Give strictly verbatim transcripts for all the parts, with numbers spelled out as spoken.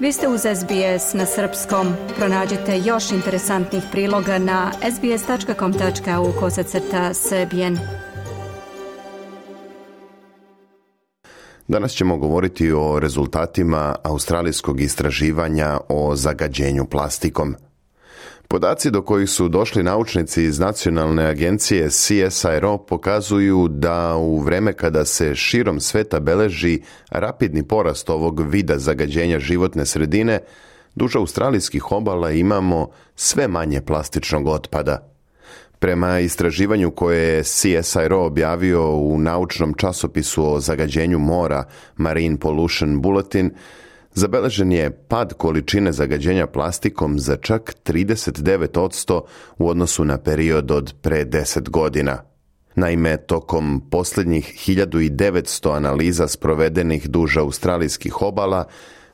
Vi ste uz S B S na srpskom. Pronađite još interesantnih priloga na sbs.com.au kosacrta srbijen. Danas ćemo govoriti o rezultatima australijskog istraživanja o zagađenju plastikom. Podaci do kojih su došli naučnici iz nacionalne agencije C S I R O pokazuju da u vreme kada se širom sveta beleži rapidni porast ovog vida zagađenja životne sredine, duž australijskih obala imamo sve manje plastičnog otpada. Prema istraživanju koje je C S I R O objavio u naučnom časopisu o zagađenju mora Marine Pollution Bulletin, zabeležen je pad količine zagađenja plastikom za čak trideset devet posto u odnosu na period od pre deset godina. Naime, tokom posljednjih hiljadu devetsto analiza sprovedenih duž australijskih obala,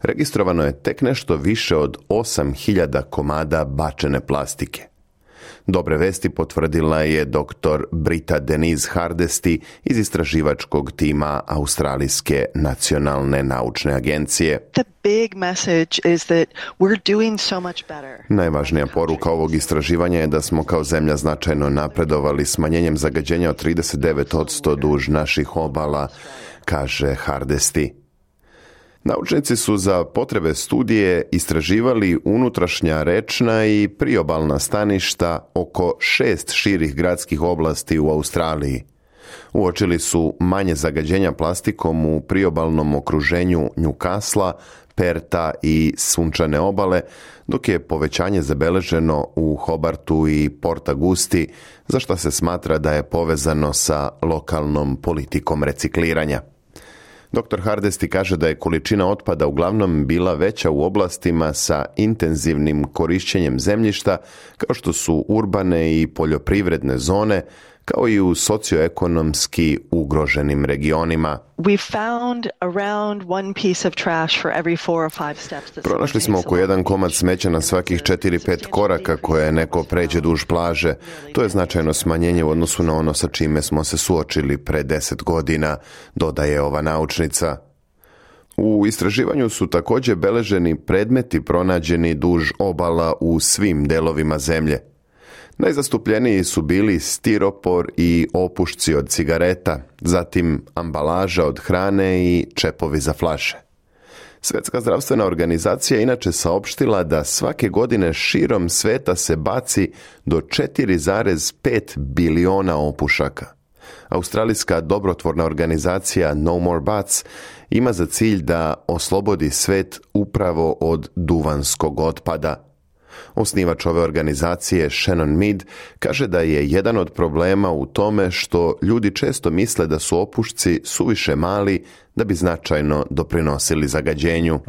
registrovano je tek nešto više od osam hiljada komada bačene plastike. Dobre vesti potvrdila je doktor Brita Denise Hardesty iz istraživačkog tima Australijske nacionalne naučne agencije. The big message is that we're doing so much better. Najvažnija poruka ovog istraživanja je da smo kao zemlja značajno napredovali smanjenjem zagađenja od trideset devet posto duž naših obala, kaže Hardesty. Naučnici su za potrebe studije istraživali unutrašnja rečna i priobalna staništa oko šest širih gradskih oblasti u Australiji. Uočili su manje zagađenja plastikom u priobalnom okruženju Newcastle, Perta i Sunčane obale, dok je povećanje zabeleženo u Hobartu i Port Augusti, za što se smatra da je povezano sa lokalnom politikom recikliranja. doktor Hardesty kaže da je količina otpada uglavnom bila veća u oblastima sa intenzivnim korišćenjem zemljišta, kao što su urbane i poljoprivredne zone, kao i u socioekonomski ugroženim regionima. We found around one piece of trash for every four or five steps. Pronašli smo oko jedan komad smeća na svakih četiri pet koraka koje neko pređe duž plaže. To je značajno smanjenje u odnosu na ono sa čime smo se suočili pre deset godina, dodaje ova naučnica. U istraživanju su također beleženi predmeti pronađeni duž obala u svim delovima zemlje. Najzastupljeniji su bili stiropor i opušci od cigareta, zatim ambalaža od hrane i čepovi za flaše. Svjetska zdravstvena organizacija inače saopštila da svake godine širom sveta se baci do četiri zarez pet biliona opušaka. Australijska dobrotvorna organizacija No More Butts ima za cilj da oslobodi svet upravo od duvanskog otpada. Osnivač ove organizacije, Shannon Mead, kaže da je jedan od problema u tome što ljudi često misle da su opušci suviše mali da bi značajno doprinosili zagađenju.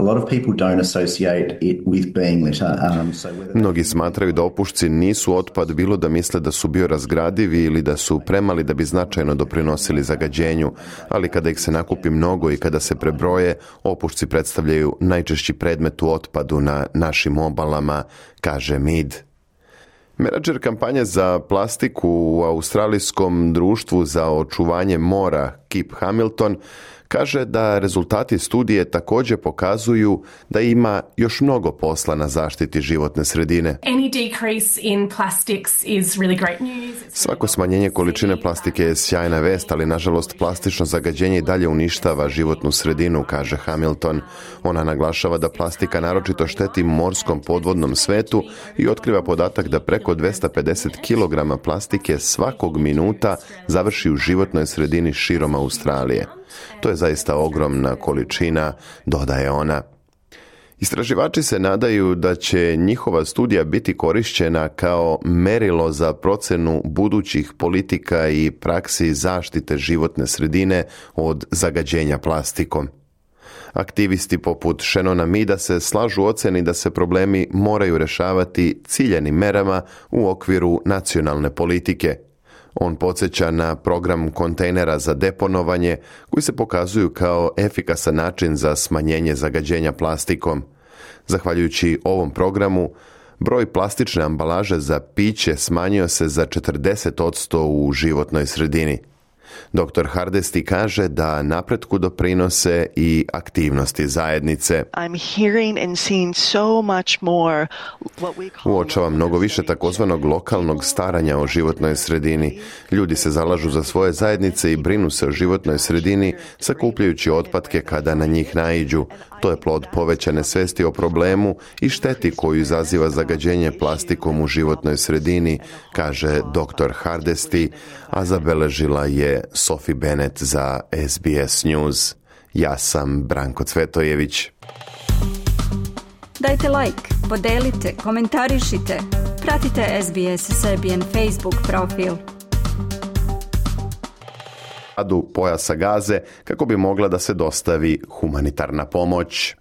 Mnogi smatraju da opušci nisu otpad, bilo da misle da su biorazgradivi ili da su premali da bi značajno doprinosili zagađenju, ali kada ih se nakupi mnogo i kada se prebroje, opušci predstavljaju najčešći predmet u otpadu na našim obalama, kaže Mead. Menadžer kampanje za plastiku u Australijskom društvu za očuvanje mora Kip Hamilton kaže da rezultati studije također pokazuju da ima još mnogo posla na zaštiti životne sredine. Svako smanjenje količine plastike je sjajna vest, ali nažalost plastično zagađenje i dalje uništava životnu sredinu, kaže Hamilton. Ona naglašava da plastika naročito šteti morskom podvodnom svetu i otkriva podatak da preko dvesta pedeset kilograma plastike svakog minuta završi u životnoj sredini širom Australije. To je zaista ogromna količina, dodaje ona. Istraživači se nadaju da će njihova studija biti korišćena kao merilo za procenu budućih politika i praksi zaštite životne sredine od zagađenja plastikom. Aktivisti poput Shannona Meada se slažu u ocjeni da se problemi moraju rješavati ciljanim merama u okviru nacionalne politike. On podsjeća na program kontejnera za deponovanje koji se pokazuju kao efikasan način za smanjenje zagađenja plastikom. Zahvaljujući ovom programu, broj plastične ambalaže za piće smanjio se za četrdeset posto u životnoj sredini. doktor Hardesty kaže da napretku doprinose i aktivnosti zajednice. I'm hearing and seeing so much more what we call Uočava mnogo više takozvanog lokalnog staranja o životnoj sredini. Ljudi se zalažu za svoje zajednice i brinu se o životnoj sredini, sakupljajući otpadke kada na njih naiđu. To je plod povećane svesti o problemu i šteti koju izaziva zagađenje plastikom u životnoj sredini, kaže doktor Hardesty, a zabeležila je Sophie Bennett za S B S News. Ja sam Branko Cvetojević. Dajte like, podelite, komentarišite. Pratite S B S Serbian Facebook profil. Adu pojasa Gaze kako bi mogla da se dostavi humanitarna pomoć.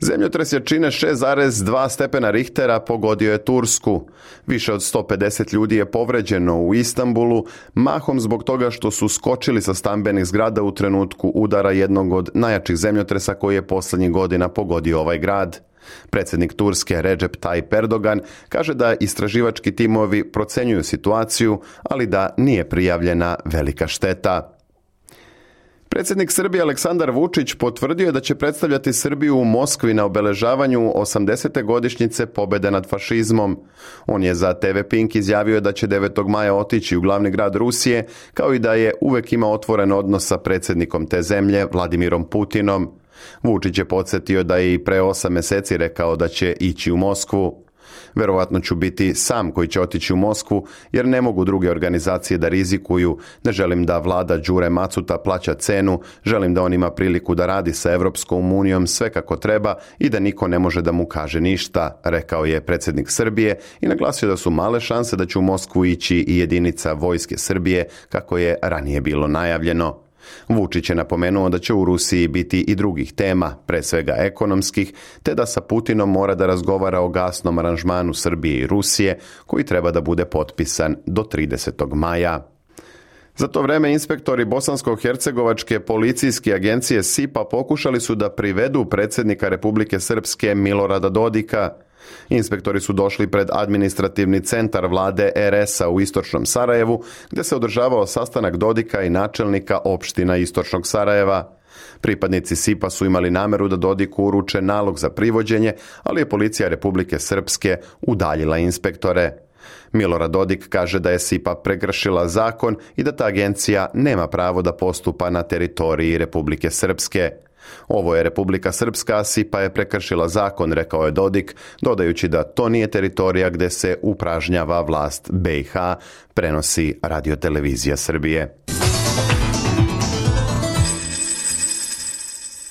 Zemljotres jačine šest zarez dva stepena Richtera pogodio je Tursku. Više od sto pedeset ljudi je povređeno u Istanbulu, mahom zbog toga što su skočili sa stambenih zgrada u trenutku udara jednog od najjačih zemljotresa koji je posljednjih godina pogodio ovaj grad. Predsjednik Turske Recep Tayyip Erdogan kaže da istraživački timovi procenjuju situaciju, ali da nije prijavljena velika šteta. Predsjednik Srbije Aleksandar Vučić potvrdio je da će predstavljati Srbiju u Moskvi na obeležavanju osamdesete godišnjice pobjede nad fašizmom. On je za T V Pink izjavio da će devetog maja otići u glavni grad Rusije, kao i da je uvek imao otvoren odnos sa predsjednikom te zemlje, Vladimirom Putinom. Vučić je podsjetio da je i pre osam mjeseci rekao da će ići u Moskvu. Verovatno ću biti sam koji će otići u Moskvu, jer ne mogu druge organizacije da rizikuju. Ne želim da vlada Đure Macuta plaća cenu, želim da on ima priliku da radi sa Evropskom unijom sve kako treba i da niko ne može da mu kaže ništa, rekao je predsjednik Srbije i naglasio da su male šanse da će u Moskvu ići i jedinica vojske Srbije, kako je ranije bilo najavljeno. Vučić je napomenuo da će u Rusiji biti i drugih tema, pre svega ekonomskih, te da sa Putinom mora da razgovara o gasnom aranžmanu Srbije i Rusije, koji treba da bude potpisan do tridesetog maja. Za to vreme inspektori Bosansko-hercegovačke policijske agencije S I P A pokušali su da privedu predsjednika Republike Srpske Milorada Dodika. Inspektori su došli pred administrativni centar vlade R S-a u istočnom Sarajevu, gdje se održavao sastanak Dodika i načelnika opština istočnog Sarajeva. Pripadnici S I P A su imali nameru da Dodiku uruče nalog za privođenje, ali je policija Republike Srpske udaljila inspektore. Milorad Dodik kaže da je S I P A prekršila zakon i da ta agencija nema pravo da postupa na teritoriji Republike Srpske. Ovo je Republika Srpska, a S I P A je prekršila zakon, rekao je Dodik, dodajući da to nije teritorija gdje se upražnjava vlast B i H, prenosi Radiotelevizija Srbije.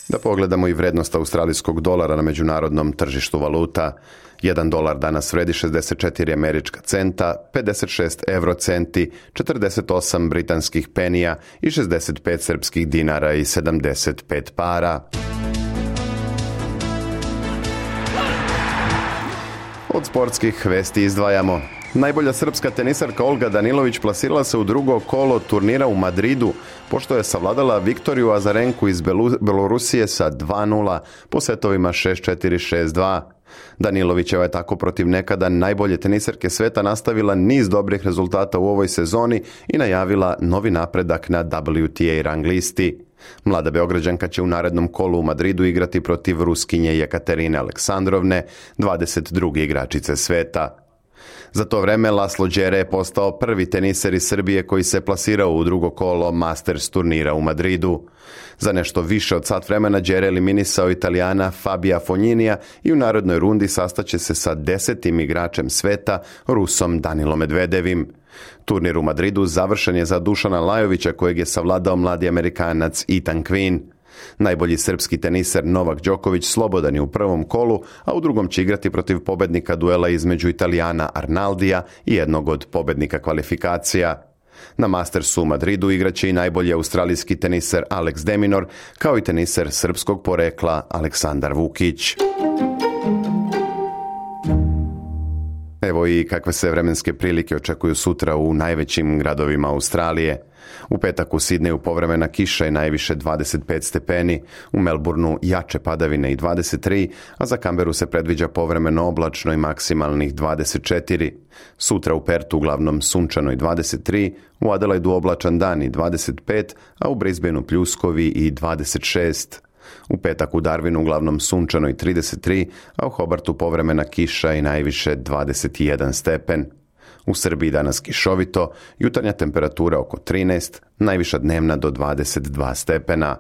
Da pogledamo i vrednost australijskog dolara na međunarodnom tržištu valuta. Jedan dolar danas vredi šezdeset četiri američka centa, pedeset šest eurocenti, četrdeset osam britanskih penija i šezdeset pet srpskih dinara i sedamdeset pet para. Od sportskih vesti izdvajamo. Najbolja srpska tenisarka Olga Danilović plasirala se u drugo kolo turnira u Madridu, pošto je savladala Viktoriju Azarenku iz Belorusije sa dva nula po setovima šest četiri šest dva. Danilovićeva je tako protiv nekada najbolje tenisarke sveta nastavila niz dobrih rezultata u ovoj sezoni i najavila novi napredak na W T A rang listi. Mlada Beograđanka će u narednom kolu u Madridu igrati protiv Ruskinje Jekaterine Aleksandrovne, dvadeset druge igračice sveta. Za to vreme Laslo Đere je postao prvi teniser iz Srbije koji se plasirao u drugo kolo Masters turnira u Madridu. Za nešto više od sat vremena Đere eliminisao Italijana Fabija Fognинija i u narodnoj rundi sastaće se sa desetim igračem sveta, Rusom Danilom Medvedevim. Turnir u Madridu završen je za Dušana Lajovića, kojeg je savladao mladi Amerikanac Ethan Quinn. Najbolji srpski teniser Novak Đoković slobodan je u prvom kolu, a u drugom će igrati protiv pobednika duela između Italijana Arnaldija i jednog od pobednika kvalifikacija. Na Mastersu u Madridu igraće i najbolji australijski teniser Alex de Minaur, kao i teniser srpskog porekla Aleksandar Vukić. Evo i kakve se vremenske prilike očekuju sutra u najvećim gradovima Australije. U petak u Sidneju povremena kiša i najviše dvadeset pet stepeni, u Melbourneu jače padavine i dvadeset tri, a za Canberu se predviđa povremeno oblačno i maksimalnih dvadeset četiri. Sutra u Pertu uglavnom sunčano i dvadeset tri, u Adelaidu oblačan dan i dvadeset pet, a u Brisbaneu pljuskovi i dvadeset šest. U petak u Darwinu uglavnom sunčano i trideset tri, a u Hobartu povremena kiša i najviše dvadeset jedan stepen. U Srbiji danas kišovito, jutarnja temperatura oko trinaest, najviša dnevna do dvadeset dva stepena.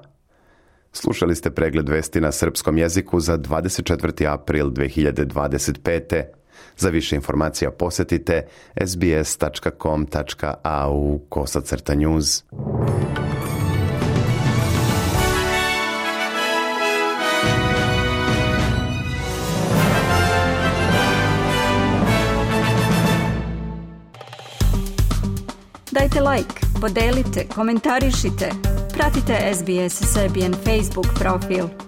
Slušali ste pregled vesti na srpskom jeziku za dvadeset četvrti april dve hiljade dvadeset pete. Za više informacija posjetite sbs tačka com tačka a u kosacrta news. Dajte like, podelite, komentarišite, pratite S B S Serbian Facebook profil.